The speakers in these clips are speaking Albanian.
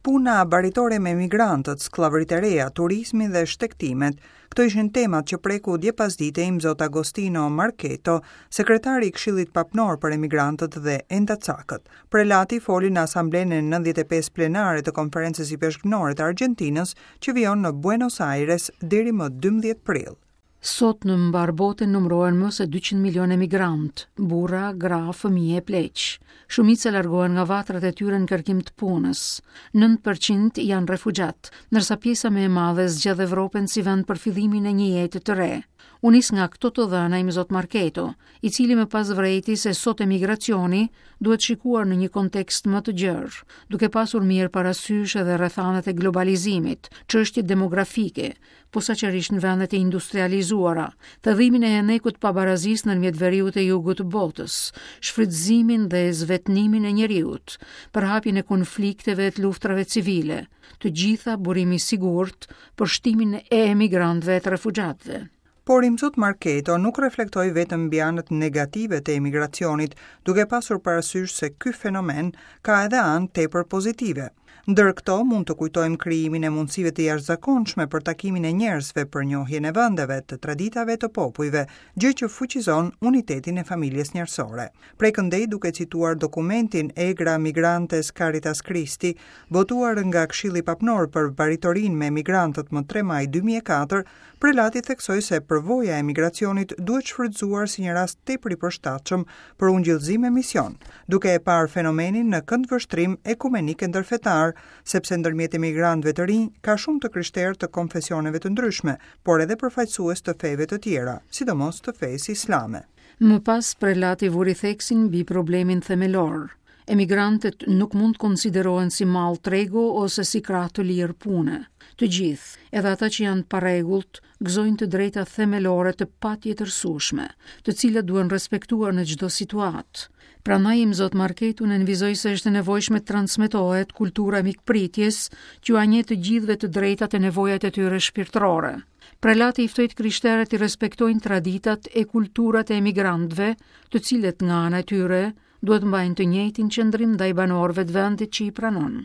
Puna baritore me emigrantët, skllavëritë e reja, turizmi dhe shtegtimet, këto ishin temat që preku dje pasdite Imzot Agostino Marchetto, sekretari i Këshillit Papnor për Emigrantët dhe Endacakët. Prelati foli në Asamblenë e 95 plenare të Konferencës Ipeshkvnore të Argjentinës, që vijon në Buenos Aires deri më 12 prill. Sot në mbarë botën numërohen më se 200 milionë emigrantë, burra, gra, fëmijë e pleq. Shumica largohen nga vatrat e tyre në kërkim të punës. 9% janë refugjatë, ndërsa pjesa më e madhe zgjedh Evropën si vend për fillimin e një jete të re. U nis nga këto të dhëna Imzot Marchetto, i cili më pas vërejti se sot emigracioni duhet shikuar në një kontekst më të gjerë, duke pasur mirë parasysh edhe rrethanat e globalizimit, çështjet demografike, posaçërisht në vendet e industrializuara, thellimin e henekut të pabarazisë ndërmjet veriut e jugut të botës, shfrytëzimin dhe zvetënimin e njeriut, përhapjen e konflikteve e të luftërave civile, të gjitha burim i sigurt për shtimin e emigrantëve e të refugjatëve. Por Imzot Marchetto nuk reflektoi vetëm mbi anët negative të emigracionit, duke pasur parasysh se ky fenomen ka edhe anë tepër pozitive. Ndër këto mund të kujtojmë krijimin e mundësive të jashtëzakonshme për takimin e njerëzve, për njohjen e vendeve, të traditave të popujve, gjë që fuqizon unitetin e familjes njerëzore. Prej këndej duke cituar dokumentin Egra Migrantes Caritas Christi, botuar nga Këshilli Papnor për Baritorinë me Emigrantët më 3 maj 2004, Prelati theksoi se përvoja e emigracionit duhet shfrytëzuar si një rast tepër i përshtatshëm për ungjillëzim e mision, duke e parë fenomenin në këndvështrim ekumenik e ndërfetar, sepse ndërmjet emigrantëve të rinj ka shumë të krishterë të konfesioneve të ndryshme, por edhe përfaqësues të feve të tjera, sidomos të fesë islame. Më pas prelati vuri theksin mbi problemin themelor, Emigrantët nuk mund të konsiderohen si mall tregu ose si krah të lirë pune. Të gjithë, edhe ata që janë të parregullt, gëzojnë të drejta themelore të patjetërsueshme, të cilat duhen respektuar në çdo situatë. Prandaj Imzot Marchetto nënvizoi se është e nevojshme të transmetohet kultura e mikpritjes që ua njeh të gjithëve të drejtat e nevojat e tyre shpirtërore. Prelati i ftoi të krishterët t'i respektojnë traditat e kulturat e emigrantëve, të cilët nga ana e tyre duhet mbajnë të njëjtin qëndrim ndaj banorëve të vendit që i pranon.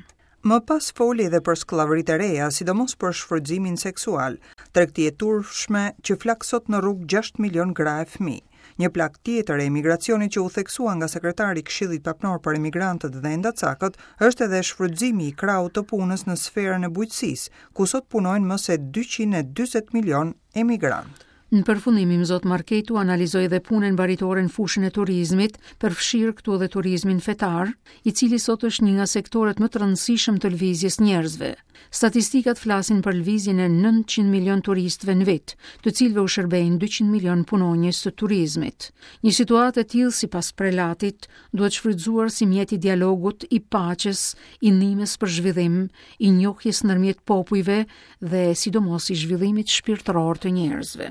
Më pas foli edhe për skllavëritë e reja, sidomos për shfrytëzimin seksual, tregti e turpshme që flak sot në rrugë 6 milion gra e fëmijë. Një plagë tjetër e emigracionit që u theksua nga sekretari i Këshillit Papnor për Emigrantët dhe Endacakët është edhe shfrytëzimi i krahut të punës në sferën e bujqësisë, ku sot punojnë më se 240 milion emigrantë. Në përfundim, Imzot Marchetto analizoi edhe punën baritore në fushën e turizmit, përfshirë këtu edhe turizmin fetar, i cili sot është një nga sektorët më të rëndësishëm të lëvizjes njerëzve. Statistikat flasin për lëvizjen e 900 milion turistëve në vit, të cilëve u shërbejnë 200 milion punonjës të turizmit. Një situatë e tillë, sipas prelatit, duhet shfrytëzuar si mjet i dialogut, i paqes, i ndihmës për zhvillim, i njohjes ndërmjet popujve dhe sidomos i zhvillimit shpirtëror të njerëzve.